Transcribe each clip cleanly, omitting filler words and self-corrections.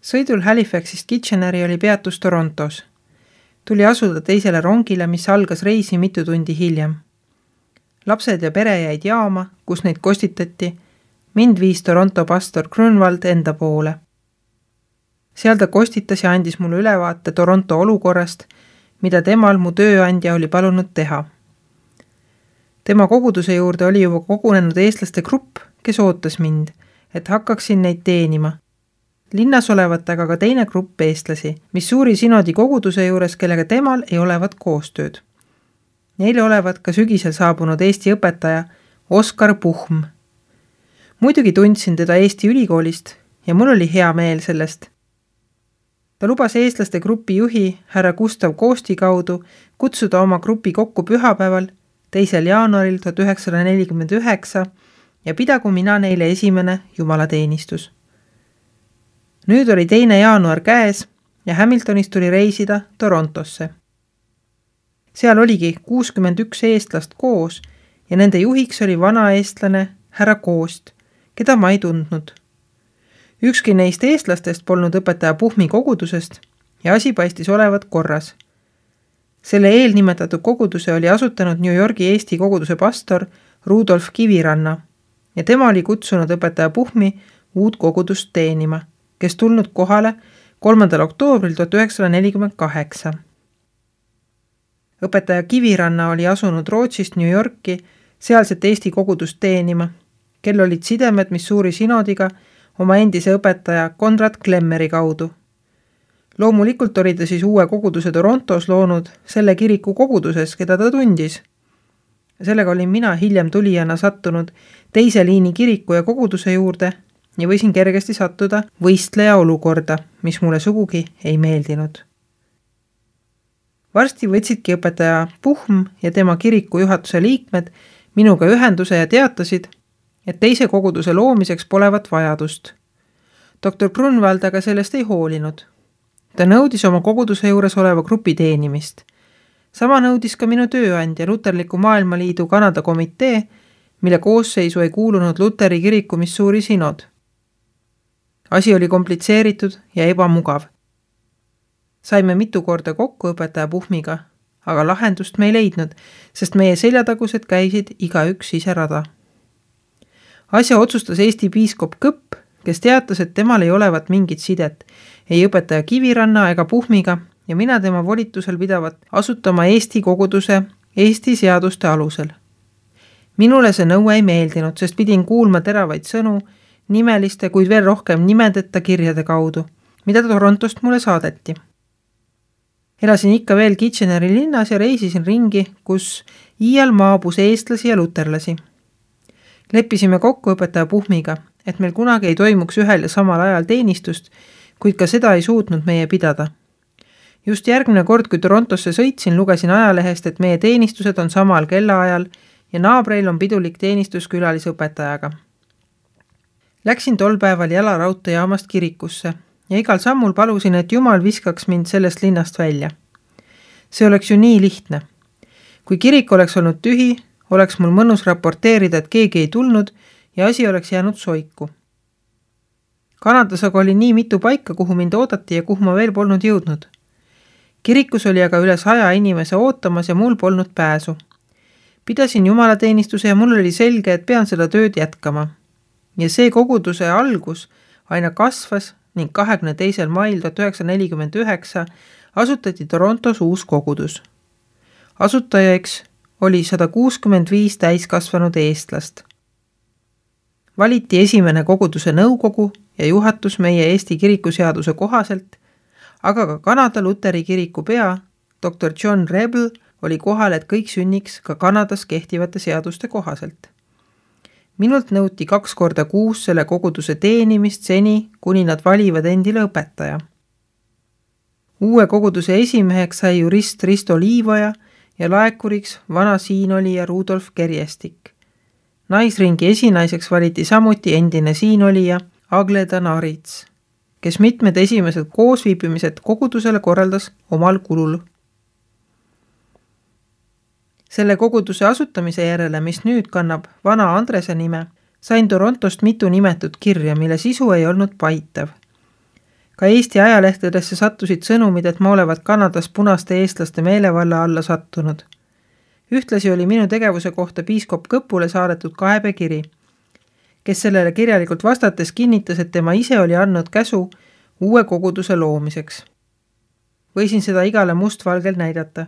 Sõidul Halifaxist Kitcheneri oli peatus Torontos. Tuli asuda teisele rongile, mis algas reisi mitu tundi hiljem. Lapsed ja pere jäid jaama, kus neid kostitati. Mind viis Toronto pastor Grunwald enda poole. Seal ta kostitas ja andis mulle ülevaate Toronto olukorrast, mida temal mu tööandja oli palunud teha. Tema koguduse juurde oli juba kogunenud eestlaste grupp, kes ootas mind, et hakkaksin neid teenima. Linnas olevat aga ka teine grupp eestlasi, mis suuri sinodi koguduse juures, kellega temal ei olevat koostööd. Neile olevat ka sügisel saabunud Eesti õpetaja Oskar Puhm. Muidugi tundsin teda Eesti ülikoolist ja mul oli hea meel sellest. Ta lubas eestlaste grupi juhi härra Gustav Koosti kaudu kutsuda oma grupi kokku pühapäeval 2. jaanuaril 1949 ja pidagu mina neile esimene jumalateenistus. Nüüd oli 2. jaanuar käes ja Hamiltonist tuli reisida Torontosse. Seal oligi 61 eestlast koos ja nende juhiks oli vana eestlane härra Koost, keda ma ei tundnud. Ükski neist eestlastest polnud õpetaja Puhmi kogudusest ja asi paistis olevat korras. Selle eelnimetatud koguduse oli asutanud New Yorgi Eesti koguduse pastor Rudolf Kiviranna ja tema oli kutsunud õpetaja Puhmi uut kogudust teenima, kes tulnud kohale 3. oktoobril 1948. Õpetaja Kiviranna oli asunud Rootsist New Yorki sealset Eesti kogudust teenima, kel olid sidemed Missouri sinodiga oma endise õpetaja Konrad Klemmeri kaudu. Loomulikult oli ta siis uue koguduse Torontos loonud selle kiriku koguduses, keda ta tundis. Sellega olin mina hiljem tulijana sattunud teise liini kiriku ja koguduse juurde ja võisin kergesti sattuda võistleja olukorda, mis mulle sugugi ei meeldinud. Varsti võtsidki õpetaja Puhm ja tema kiriku juhatuse liikmed minuga ühenduse ja teatasid, et teise koguduse loomiseks polevat vajadust. Dr. Grunwald aga sellest ei hoolinud. Ta nõudis oma koguduse juures oleva grupi teenimist. Sama nõudis ka minu tööandja Luterliku Maailmaliidu Kanada komitee, mille koosseisu ei kuulunud Luteri kiriku Missouri sinod. Asi oli komplitseeritud ja ebamugav. Saime mitu korda kokku õpetaja Puhmiga, aga lahendust me ei leidnud, sest meie seljatagused käisid igaüks ise rada. Asja otsustas Eesti piiskop Kõpp, kes teatas, et temal ei olevat mingit sidet, ei õpetaja Kiviranna ega Puhmiga ja mina tema volitusel pidavat asutama Eesti koguduse Eesti seaduste alusel. Minule see nõue ei meeldinud, sest pidin kuulma teravaid sõnu, nimeliste, kuid veel rohkem nimedeta kirjade kaudu, mida Torontost mulle saadeti. Elasin ikka veel Kitcheneri linnas ja reisisin ringi, kus iial maabus eestlasi ja luterlasi. Leppisime kokku õpetaja Puhmiga, et meil kunagi ei toimuks ühel ja samal ajal teenistust, kuid ka seda ei suutnud meie pidada. Just järgmine kord, kui Torontosse sõitsin, lugesin ajalehest, et meie teenistused on samal kellaajal ja naabreil on pidulik teenistus külalisõpetajaga. Läksin tol päeval jalaraudteejaamast kirikusse ja igal sammul palusin, et Jumal viskaks mind sellest linnast välja. See oleks ju nii lihtne. Kui kirik oleks olnud tühi, oleks mul mõnus raporteerida, et keegi ei tulnud ja asi oleks jäänud soiku. Kanadas aga oli nii mitu paika, kuhu mind oodati ja kuhu ma veel polnud jõudnud. Kirikus oli aga üle 100 inimese ootamas ja mul polnud pääsu. Pidasin jumalateenistuse ja mul oli selge, et pean seda tööd jätkama. Ja see koguduse algus aina kasvas ning 22. mail 1949 asutati Torontos uus kogudus. Asutajaks oli 165 täiskasvanud eestlast. Valiti esimene koguduse nõukogu ja juhatus meie Eesti kirikuseaduse kohaselt, aga ka Kanada Luteri kiriku pea, Dr. John Rebel, oli kohal, et kõik sünniks ka Kanadas kehtivate seaduste kohaselt. Minult nõuti 2 korda kuus selle koguduse teenimist seni, kuni nad valivad endile õpetaja. Uue koguduse esimeheks sai jurist Risto Liivaja ja laekuriks vana siinolija Rudolf Kerjestik. Naisringi esinaiseks valiti samuti endine siinolija Agleda Narits, kes mitmed esimesed koosviibimised kogudusele korraldas omal kulul. Selle koguduse asutamise järele, mis nüüd kannab vana Andrese nime, sain Torontost mitu nimetut kirja, mille sisu ei olnud paitav. Ka Eesti ajalehtedesse sattusid sõnumid, et ma olevat Kanadas punaste eestlaste meelevalla alla sattunud. Ühtlasi oli minu tegevuse kohta piiskop Kõpule saadetud kaebekiri, kes sellele kirjalikult vastates kinnitas, et tema ise oli andnud käsu uue koguduse loomiseks. Võisin seda igale mustvalgel näidata.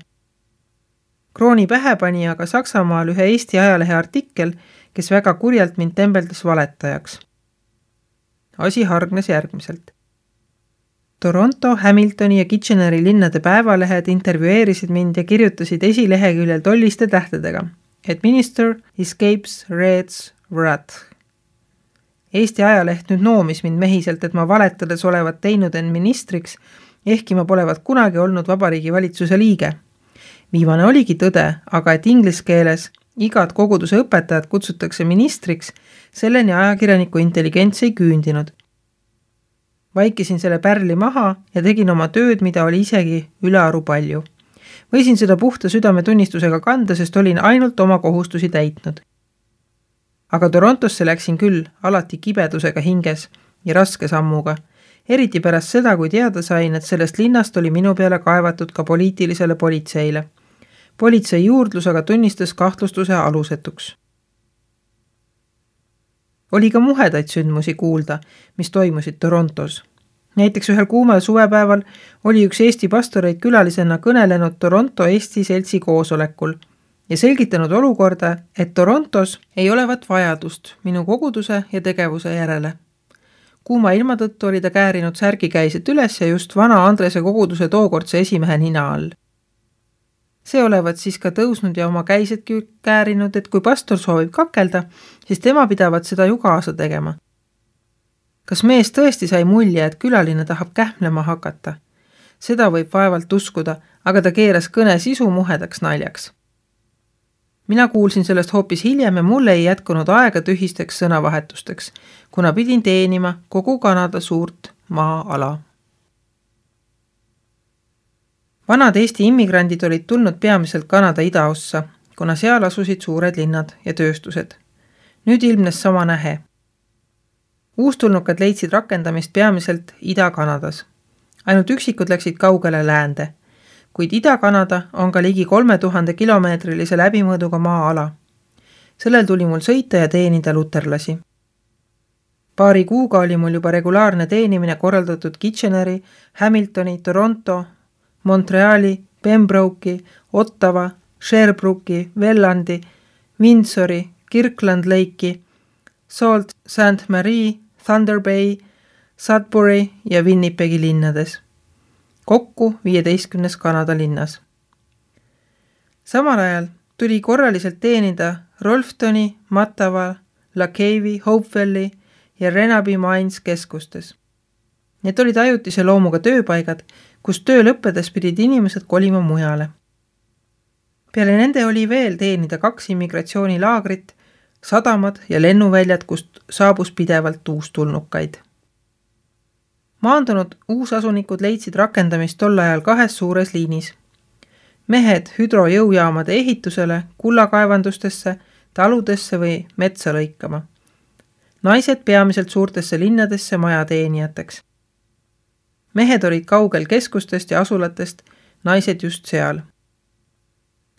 Krooni pähe pani aga Saksamaal ühe Eesti ajalehe artikkel, kes väga kurjalt mind tembeldas valetajaks. Asi hargnes järgmiselt. Toronto, Hamiltoni ja Kitcheneri linnade päevalehed intervjueerisid mind ja kirjutasid esileheküljel tolliste tähtedega, et minister escapes Red's wrath. Eesti ajaleht nüüd noomis mind mehiselt, et ma valetades olevat teinud end ministriks, ehkki ma polevat kunagi olnud Vabariigi valitsuse liige. Viimane oligi tõde, aga et inglise keeles igad koguduse õpetajad kutsutakse ministriks, selleni ajakirjaniku intelligents ei küündinud. Vaikisin selle pärli maha ja tegin oma tööd, mida oli isegi ülearu palju. Võisin seda puhta südametunnistusega kanda, sest olin ainult oma kohustusi täitnud. Aga Torontosse läksin küll alati kibedusega hinges ja raske sammuga, eriti pärast seda, kui teada sain, et sellest linnast oli minu peale kaevatud ka poliitilisele politseile. Politsei juurdlus aga tunnistas kahtlustuse alusetuks. Oli ka muhedaid sündmusi kuulda, mis toimusid Torontos. Näiteks ühel kuumal suvepäeval oli üks Eesti pastoreid külalisena kõnelenud Toronto Eesti seltsi koosolekul ja selgitanud olukorda, et Torontos ei olevat vajadust minu koguduse ja tegevuse järele. Kuuma ilma tõttu oli ta käärinud särgikäiset üles ja just vana Andrese koguduse tookordse esimehe nina all. See olevat siis ka tõusnud ja oma käisedki käärinud, et kui pastor soovib kakelda, siis tema pidavat seda ju kaasa tegema. Kas mees tõesti sai mulje, et külaline tahab kähmlema hakata? Seda võib vaevalt uskuda, aga ta keeras kõne sisu muhedaks naljaks. Mina kuulsin sellest hoopis hiljem ja mulle ei jätkunud aega tühisteks sõnavahetusteks, kuna pidin teenima kogu Kanada suurt maa-ala. Vanad Eesti immigrandid olid tulnud peamiselt Kanada idaossa, kuna seal asusid suured linnad ja tööstused. Nüüd ilmnes sama nähe. Uustulnukad leidsid rakendamist peamiselt Ida-Kanadas. Ainult üksikud läksid kaugele läände, kuid Ida-Kanada on ka ligi 3000 kilomeetrilise läbimõõduga maa-ala. Sellel tuli mul sõita ja teenida luterlasi. Paari kuuga oli mul juba regulaarne teenimine korraldatud Kitcheneri, Hamiltoni, Toronto, Montreali, Pembroke'i, Ottawa, Sherbrooke'i, Wellandi, Windsori, Kirkland Lake'i, Sault Ste. Marie, Thunder Bay, Sudbury ja Winnipegi linnades. Kokku 15 Kanada linnas. Samal ajal tuli korraliselt teenida Rolftoni, Mattawa, Lacavi, Hopevelli ja Renaby Mines keskustes. Need olid ajutise loomuga tööpaigad, kus töö lõppedes pidid inimesed kolima mujale. Peale nende oli veel teenida 2 immigratsioonilaagrit, sadamad ja lennuväljad, kust saabus pidevalt uustulnukaid. Maandunud uusasunikud leidsid rakendamist tol ajal 2 suures liinis. Mehed hüdrojõujaamade ehitusele, kullakaevandustesse, taludesse või metsa lõikama. Naised peamiselt suurtesse linnadesse majateenijateks. Mehed olid kaugel keskustest ja asulatest, naised just seal.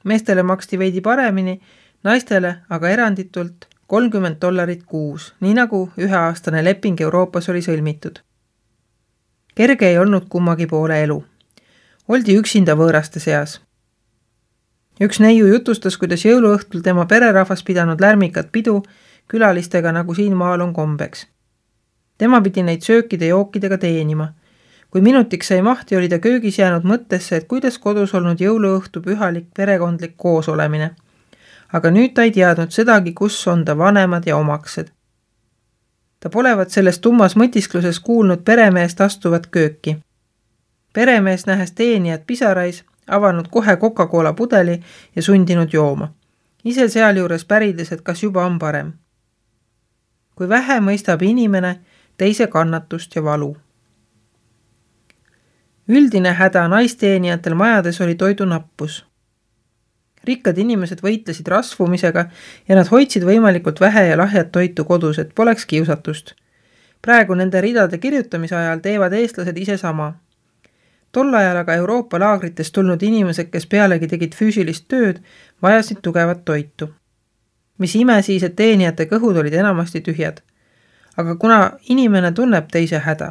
Meestele maksti veidi paremini, naistele aga eranditult $30 kuus, nii nagu 1-aastane leping Euroopas oli sõlmitud. Kerge ei olnud kummagi poole elu. Oldi üksinda võõraste seas. Üks neiu jutustas, kuidas jõuluõhtul tema pererahvas pidanud lärmikat pidu külalistega, nagu siin maal on kombeks. Tema pidi neid söökide jookidega teenima. Kui minutiks sai mahti, oli ta köögis jäänud mõttesse, et kuidas kodus olnud jõuluõhtu pühalik perekondlik koosolemine. Aga nüüd ta ei teadnud sedagi, kus on ta vanemad ja omaksed. Ta polevat selles tummas mõtiskluses kuulnud peremeest astuvat kööki. Peremees nähes teenijad pisarais, avanud kohe Coca-Cola pudeli ja sundinud jooma. Ise sealjuures pärides, et kas juba on parem. Kui vähe mõistab inimene teise kannatust ja valu. Üldine häda naisteenijatel majades oli toidunappus. Rikkad inimesed võitlesid rasvumisega ja nad hoidsid võimalikult vähe ja lahjat toitu kodus, et poleks kiusatust. Praegu nende ridade kirjutamise ajal teevad eestlased ise sama. Tol ajal aga Euroopa laagritest tulnud inimesed, kes pealegi tegid füüsilist tööd, vajasid tugevat toitu. Mis ime siis, et teenijate kõhud olid enamasti tühjad. Aga kuna inimene tunneb teise häda.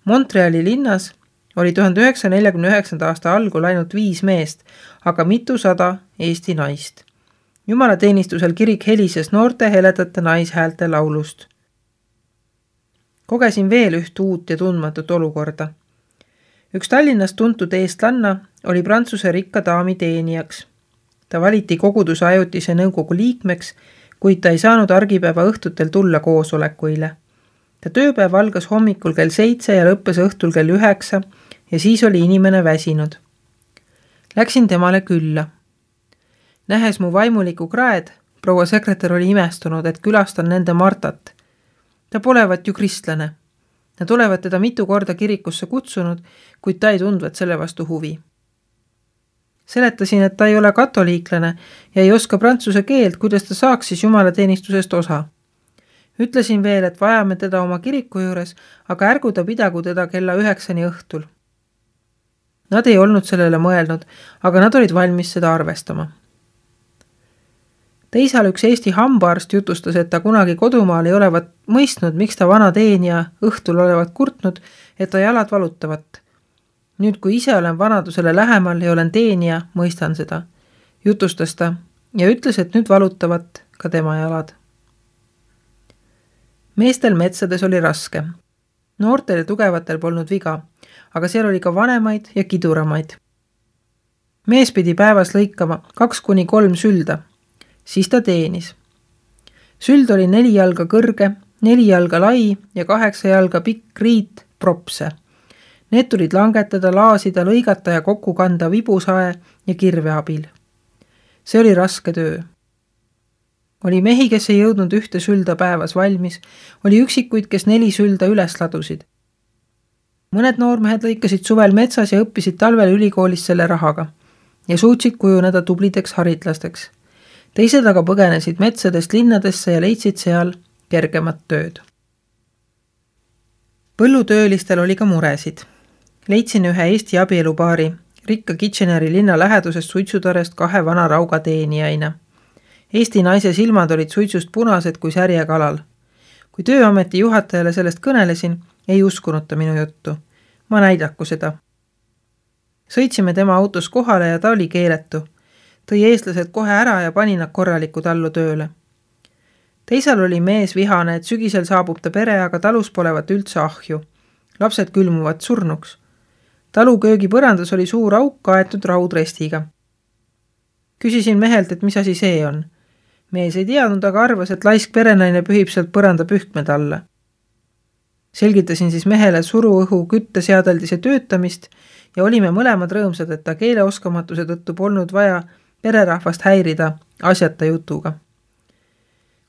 Montreali linnas oli 1949. aasta algul ainult 5 meest, aga mitusada Eesti naist. Jumalateenistusel kirik helises noorte heledate naishäälte laulust. Kogesin veel üht uut ja tundmatut olukorda. Üks Tallinnas tuntud eestlanna oli Prantsuse rikka daami teenijaks. Ta valiti koguduse ajutise nõukogu liikmeks, kuid ta ei saanud argipäeva õhtutel tulla koosolekuile. Ta tööpäev algas hommikul kell 7 ja lõppes õhtul kell 9 ja siis oli inimene väsinud. Läksin temale külla. Nähes mu vaimuliku kraed, proua sekretär oli imestunud, et külastan nende Martat. Ta polevat ju kristlane. Nad olevat teda mitu korda kirikusse kutsunud, kuid ta ei tundvat selle vastu huvi. Seletasin, et ta ei ole katoliiklane ja ei oska prantsuse keelt, kuidas ta saaks siis jumalateenistusest osa. Ütlesin veel, et vajame teda oma kiriku juures, aga ärgu ta pidagu teda kella 9 õhtul. Nad ei olnud sellele mõelnud, aga nad olid valmis seda arvestama. Teisal üks Eesti hambaarst jutustas, et ta kunagi kodumaal ei olevat mõistnud, miks ta vana teenija õhtul olevat kurtnud, et ta jalad valutavat. Nüüd, kui ise olen vanadusele lähemal ja olen teenija, mõistan seda, jutustas ta ja ütles, et nüüd valutavat ka tema jalad. Meestel metsades oli raske. Noortel ja tugevatel polnud viga, aga seal oli ka vanemaid ja kiduramaid. Mees pidi päevas lõikama 2-3 sülda. Siis ta teenis. Süld oli 4 jalga kõrge, 4 jalga lai ja 8 jalga pikk riit propse. Need tulid langetada, laasida, lõigata ja kokku kanda vibusae ja kirve abil. See oli raske töö. Oli mehi, kes ei jõudnud 1 sülda päevas valmis, oli üksikuid, kes 4 sülda üles ladusid. Mõned noormehed lõikasid suvel metsas ja õppisid talvel ülikoolis selle rahaga ja suutsid kujuneda tublideks haritlasteks. Teised aga põgenesid metsadest linnadesse ja leidsid seal kergemat tööd. Põllutöölistel oli ka muresid. Leidsin ühe Eesti abielupaari rikka Kitcheneri linna lähedusest suitsutarest 2 vana rauga teenijaina. Eesti naise silmad olid suitsust punased kui särjekalal. Kui tööameti juhatajale sellest kõnelesin, ei uskunud ta minu juttu. Ma näidaku seda. Sõitsime tema autos kohale ja ta oli keeletu. Tõi eestlased kohe ära ja pani nad korraliku tallu tööle. Teisal oli mees vihane, et sügisel saabub ta pere, aga talus polevat üldse ahju. Lapsed külmuvad surnuks. Talu köögi põrandas oli suur auk kaetud raudrestiga. Küsisin mehelt, et mis asi see on. Mees ei teadnud, aga arvas, et laisk perenaine pühib sealt põranda pühkmed alla. Selgitasin siis mehele suruõhu kütteseadeldise töötamist ja olime mõlemad rõõmsad, et ta keeleoskamatuse tõttu polnud vaja pererahvast häirida asjata jutuga.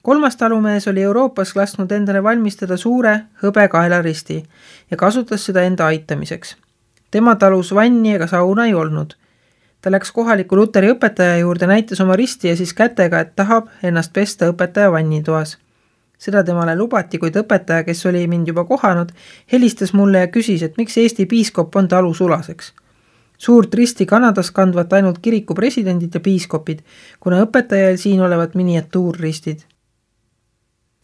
3. talumees oli Euroopas lasknud endale valmistada suure hõbekaelaristi ja kasutas seda enda aitamiseks. Tema talus vanni ega sauna ei olnud. Ta läks kohaliku luteri õpetaja juurde, näitas oma risti ja siis kätega, et tahab ennast pesta õpetaja vannitoas. Seda temale lubati, kuid õpetaja, kes oli mind juba kohanud, helistas mulle ja küsis, et miks Eesti piiskop on talu sulaseks. Suurt risti Kanadas kandvat ainult kiriku presidendid ja piiskopid, kuna õpetajal siin olevat miniatuurristid.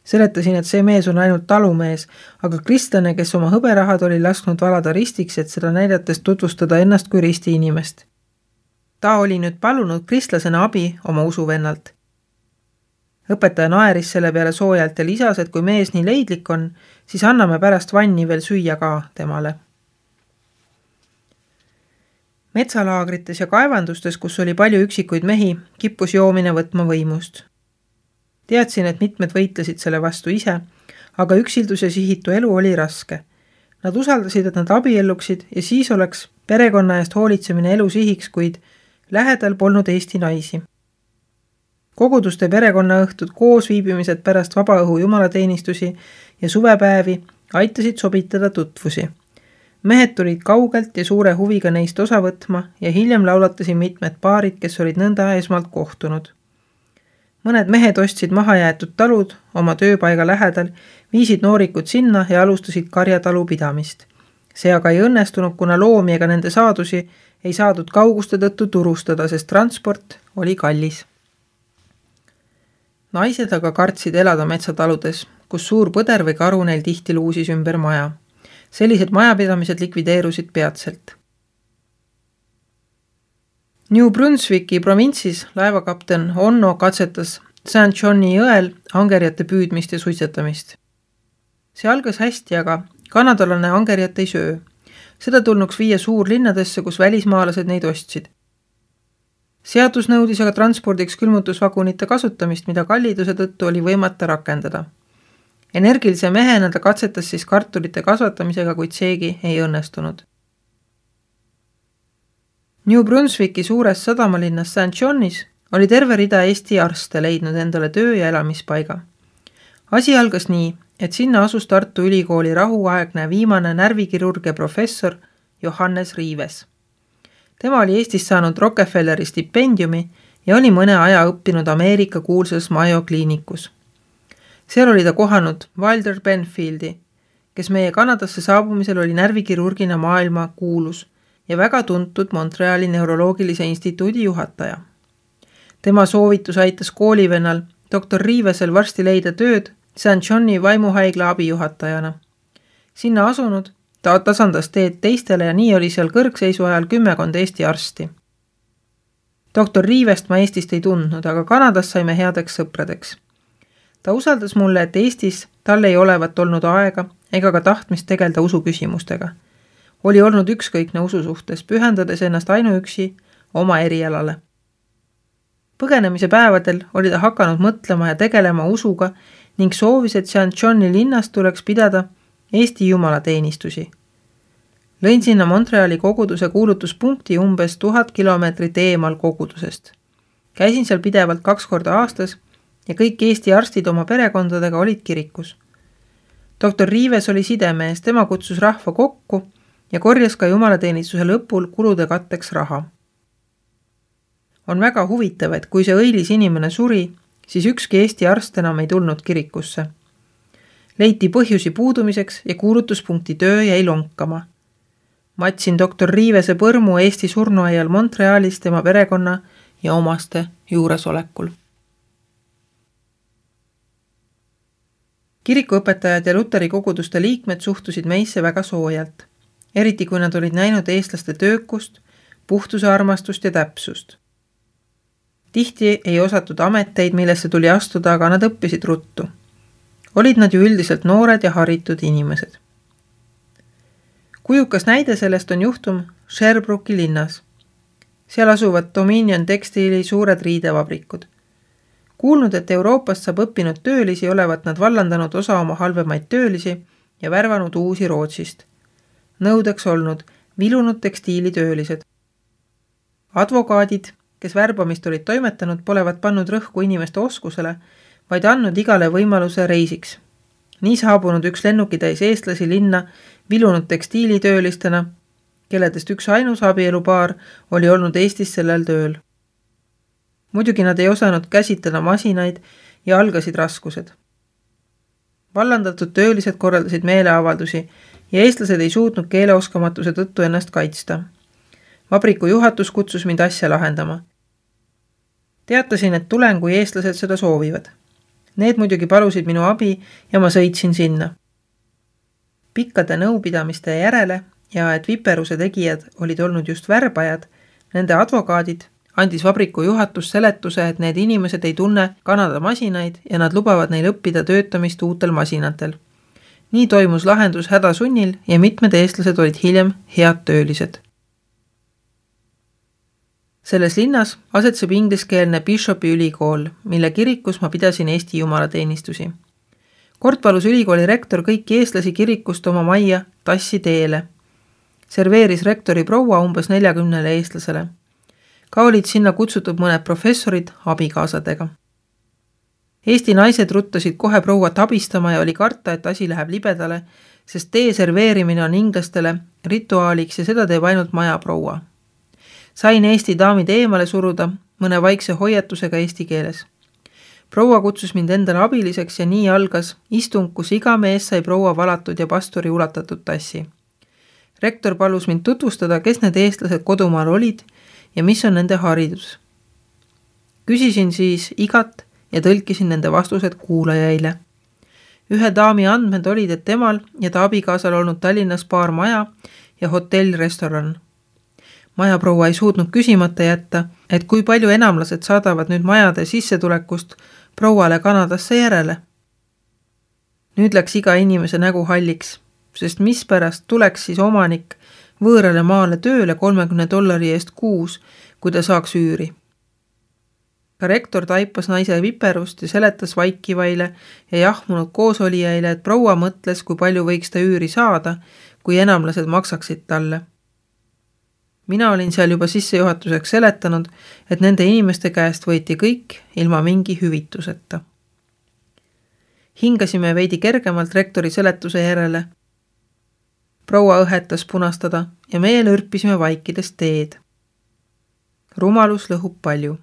Seletasin, et see mees on ainult talumees, aga kristlane, kes oma hõberahad oli lasknud valada ristiks, et seda näidates tutvustada ennast kui risti inimest. Ta oli nüüd palunud kristlasena abi oma usuvennalt. Õpetaja naeris selle peale soojalt ja lisas, et kui mees nii leidlik on, siis anname pärast vanni veel süüa ka temale. Metsalaagrites ja kaevandustes, kus oli palju üksikuid mehi, kippus joomine võtma võimust. Teadsin, et mitmed võitlesid selle vastu ise, aga üksildus ja sihitu elu oli raske. Nad usaldasid, et nad abielluksid ja siis oleks perekonna eest hoolitsemine elu sihiks, kuid lähedal polnud Eesti naisi. Koguduste perekonnaõhtud, koosviibimised pärast vabaõhu jumalateenistusi ja suvepäevi aitasid sobitada tutvusi. Mehed tulid kaugelt ja suure huviga neist osa võtma ja hiljem laulatasin mitmed paarid, kes olid nõnda esmalt kohtunud. Mõned mehed ostsid mahajäetud talud oma tööpaiga lähedal, viisid noorikud sinna ja alustasid karjatalu pidamist. See aga ei õnnestunud, kuna loomi ega nende saadusi ei saadud kauguste tõttu turustada, sest transport oli kallis. Naised aga kartsid elada metsataludes, kus suur põder või karu neil tihti luusis ümber maja. Sellised majapidamised likvideerusid peatselt. New Brunswicki provintsis laevakapten Onno katsetas St. Johni jõel angerjate püüdmist ja suitsetamist. See algas hästi, aga kanadalane angerjat ei söö. Seda tulnuks viia suurlinnadesse, kus välismaalased neid ostsid. Seadus nõudis aga transpordiks külmutusvagunite kasutamist, mida kalliduse tõttu oli võimata rakendada. Energilise mehena ta katsetas siis kartulite kasvatamisega, kuid seegi ei õnnestunud. New Brunswicki suures sadamalinnas St. Johnis oli terve rida Eesti arste leidnud endale töö ja elamispaiga. Asi algas nii, et sinna asus Tartu Ülikooli rahuaegne viimane närvikirurgia professor Johannes Riives. Tema oli Eestis saanud Rockefelleri stipendiumi ja oli mõne aja õppinud Ameerika kuulsas Mayo kliinikus. Seal oli ta kohanud Wilder Benfieldi, kes meie Kanadasse saabumisel oli närvikirurgina maailma kuulus ja väga tuntud Montreali neuroloogilise instituudi juhataja. Tema soovitus aitas koolivennal doktor Riivesel varsti leida tööd St. Johni vaimuhaigla abijuhatajana. Sinna asunud ta tasandas teed teistele ja nii oli seal kõrgseisu ajal 10 Eesti arsti. Doktor Riivest ma Eestist ei tundnud, aga Kanadas saime headeks sõpradeks. Ta usaldas mulle, et Eestis tal ei olevat olnud aega ega ka tahtmist tegelda usuküsimustega. Oli olnud ükskõikne usu suhtes, pühendades ennast ainuüksi oma erialale. Põgenemise päevadel oli ta hakanud mõtlema ja tegelema usuga ning soovis, et St. Johni linnas tuleks pidada Eesti jumalateenistusi. Lõin sinna Montreali koguduse kuulutuspunkti umbes 1000 kilomeetrit eemal kogudusest. Käisin seal pidevalt 2 korda aastas ja kõik Eesti arstid oma perekondadega olid kirikus. Doktor Riives oli sidemees, tema kutsus rahva kokku ja korjas ka jumalateenistuse lõpul kulude katteks raha. On väga huvitav, et kui see õilis inimene suri, siis ükski Eesti arst enam ei tulnud kirikusse. Leiti põhjusi puudumiseks ja kuulutuspunkti töö jäi lonkama. Matsin doktor Riivese põrmu Eesti surnuaial Montrealis tema perekonna ja omaste juuresolekul. Kirikuõpetajad ja Luteri koguduste liikmed suhtusid meisse väga soojalt, eriti kui nad olid näinud eestlaste töökust, puhtuse armastust ja täpsust. Tihti ei osatud ameteid, millesse tuli astuda, aga nad õppisid ruttu. Olid nad ju üldiselt noored ja haritud inimesed. Kujukas näide sellest on juhtum Sherbrooki linnas. Seal asuvad Dominion tekstiili suured riidevabrikud. Kuulnud, et Euroopast saab õppinud töölisi, olevat nad vallandanud osa oma halvemaid töölisi ja värvanud uusi Rootsist. Nõudeks olnud vilunud tekstiilitöölised. Advokaadid, kes värbamist olid toimetanud, polevat pannud rõhku inimeste oskusele, vaid andnud igale võimaluse reisiks. Nii saabunud üks lennukitäis eestlasi linna vilunud tekstiilitöölistena, kelledest üks ainus abielupaar oli olnud Eestis sellel tööl. Muidugi nad ei osanud käsitleda masinaid ja algasid raskused. Vallandatud töölised korraldasid meeleavaldusi ja eestlased ei suutnud keeleoskamatuse tõttu ennast kaitsta. Vabriku juhatus kutsus mind asja lahendama. Teatasin, et tulen, kui eestlased seda soovivad. Need muidugi palusid minu abi ja ma sõitsin sinna. Pikkade nõupidamiste järele ja et viperuse tegijad olid olnud just värbajad, nende advokaadid, andis vabriku juhatus seletuse, et need inimesed ei tunne Kanada masinaid ja nad lubavad neil õppida töötamist uutel masinatel. Nii toimus lahendus hädasunnil ja mitmed eestlased olid hiljem head töölised. Selles linnas asetseb ingliskeelne Bishopi ülikool, mille kirikus ma pidasin Eesti jumalateenistusi. Kord palus ülikooli rektor kõiki eestlasi kirikust oma majja tassi teele. Serveeris rektori proua umbes 40 eestlasele. Ka olid sinna kutsutud mõned professorid abikaasadega. Eesti naised ruttasid kohe prouat abistama ja oli karta, et asi läheb libedale, sest tee serveerimine on inglastele rituaaliks ja seda teeb ainult majaproua. Sain Eesti daamid eemale suruda mõne vaikse hoiatusega eesti keeles. proua kutsus mind endale abiliseks ja nii algas istung, kus iga mees sai proua valatud ja pastori ulatatud tassi. Rektor palus mind tutvustada, kes need eestlased kodumaal olid ja mis on nende haridus. Küsisin siis igat ja tõlkisin nende vastused kuulajaile. Ühe daami andmed olid, et temal ja ta abikaasal olnud Tallinnas paar maja ja hotell-restoran. Majaproua ei suutnud küsimata jätta, et kui palju enamlased saadavad nüüd majade sissetulekust prouale Kanadasse järele. Nüüd läks iga inimese nägu halliks, sest mispärast tuleks siis omanik võõrale maale tööle $30 eest kuus, kui ta saaks üüri. Ka rektor taipas naise viperust ja seletas vaikivaile ja jahmunud koosolijaile, et proua mõtles, kui palju võiks ta üüri saada, kui enamlased maksaksid talle. Mina olin seal juba sissejuhatuseks seletanud, et nende inimeste käest võeti kõik ilma mingi hüvituseta. Hingasime veidi kergemalt rektori seletuse järele. Proua õhetas punastada ja meie lürpisime vaikides teed. Rumalus lõhub palju.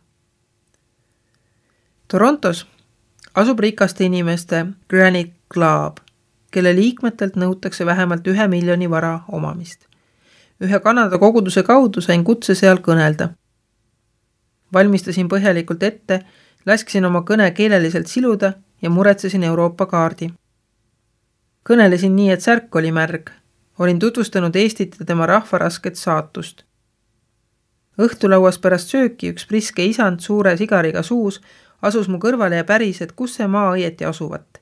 Torontos asub rikaste inimeste Granite Club, kelle liikmetelt nõutakse vähemalt 1 miljoni vara omamist. Ühe Kanada koguduse kaudu sain kutse seal kõnelda. Valmistasin põhjalikult ette, lasksin oma kõne keeleliselt siluda ja muretsesin Euroopa kaardi. Kõnelesin nii, et särk oli märg. Olin tutvustanud Eestit ja tema rahva rasket saatust. Õhtulauas pärast sööki üks priske isand suure sigariga suus asus mu kõrvale ja päris, et kus see maa õieti asuvat,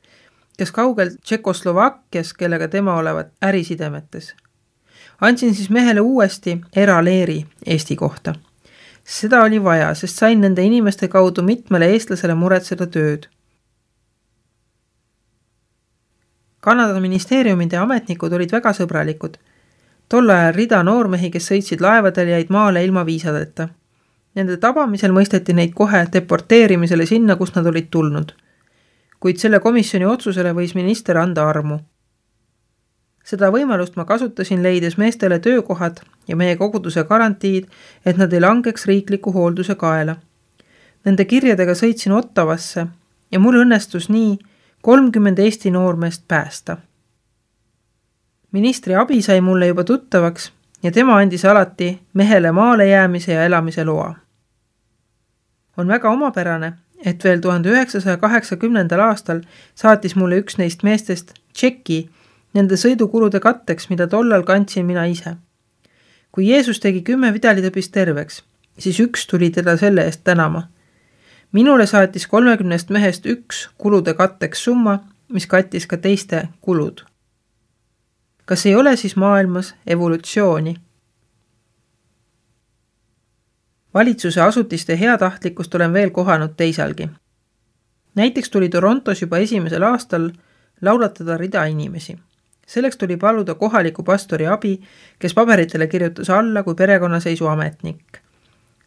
kes kaugel Tšekoslovakkias, kellega tema olevat ärisidemetes. Andsin siis mehele uuesti eraleeri Eesti kohta. Seda oli vaja, sest sain nende inimeste kaudu mitmele eestlasele muretseda tööd. Kanada ministeeriumide ametnikud olid väga sõbralikud. Tol ajal rida noormehi, kes sõitsid laevadel, jäid maale ilma viisadeta. Nende tabamisel mõisteti neid kohe deporteerimisele sinna, kus nad olid tulnud. Kuid selle komisjoni otsusele võis minister anda armu. Seda võimalust ma kasutasin, leides meestele töökohad ja meie koguduse garantiid, et nad ei langeks riikliku hoolduse kaela. Nende kirjadega sõitsin Ottavasse ja mul õnnestus nii 30 Eesti noormeest päästa. Ministri abi sai mulle juba tuttavaks ja tema andis alati mehele maale jäämise ja elamise loa. On väga omapärane, et veel 1980. aastal saatis mulle üks neist meestest tšeki nende sõidukulude katteks, mida tollal kandsin mina ise. Kui Jeesus tegi 10 vidalitõbist terveks, siis üks tuli teda selle eest tänama. Minule saatis 30 mehest üks kulude katteks summa, mis kattis ka teiste kulud. Kas ei ole siis maailmas evolutsiooni? Valitsuse asutiste heatahtlikkust olen veel kohanud teisalgi. Näiteks tuli Torontos juba esimesel aastal laulatada rida inimesi. Selleks tuli paluda kohaliku pastori abi, kes paberitele kirjutas alla kui perekonnaseisu ametnik.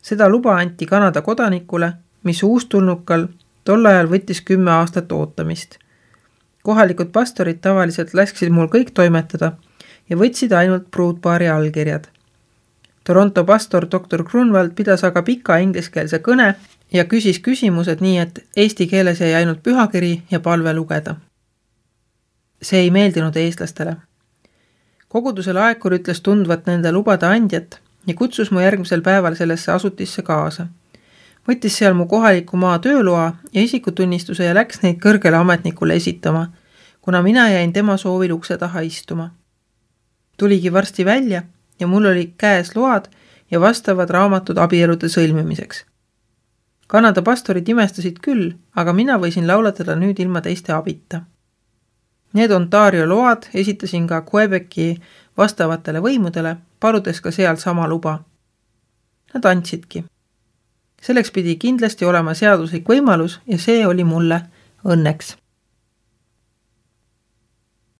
Seda luba anti Kanada kodanikule, mis uustulnukal tol ajal võttis 10 aastat ootamist. Kohalikud pastorid tavaliselt lasksid mul kõik toimetada ja võtsid ainult pruutpaari allkirjad. Toronto pastor Dr. Grunwald pidas aga pika ingliskeelse kõne ja küsis küsimused nii, et eesti keeles jäi ainult pühakiri ja palve lugeda. See ei meeldinud eestlastele. Koguduse laekur ütles tundvat nende lubade andjat ja kutsus mu järgmisel päeval sellesse asutisse kaasa. Võttis seal mu kohaliku maa tööloa ja isikutunnistuse ja läks neid kõrgele ametnikule esitama, kuna mina jäin tema soovil ukse taha istuma. Tuligi varsti välja ja mul oli käes load ja vastavad raamatud abielude sõlmimiseks. Kanada pastorid imestasid küll, aga mina võisin laulatada nüüd ilma teiste abita. Need Ontario load esitasin ka Quebeci vastavatele võimudele, paludes ka seal sama luba. Nad andsidki. Selleks pidi kindlasti olema seaduslik võimalus ja see oli mulle õnneks.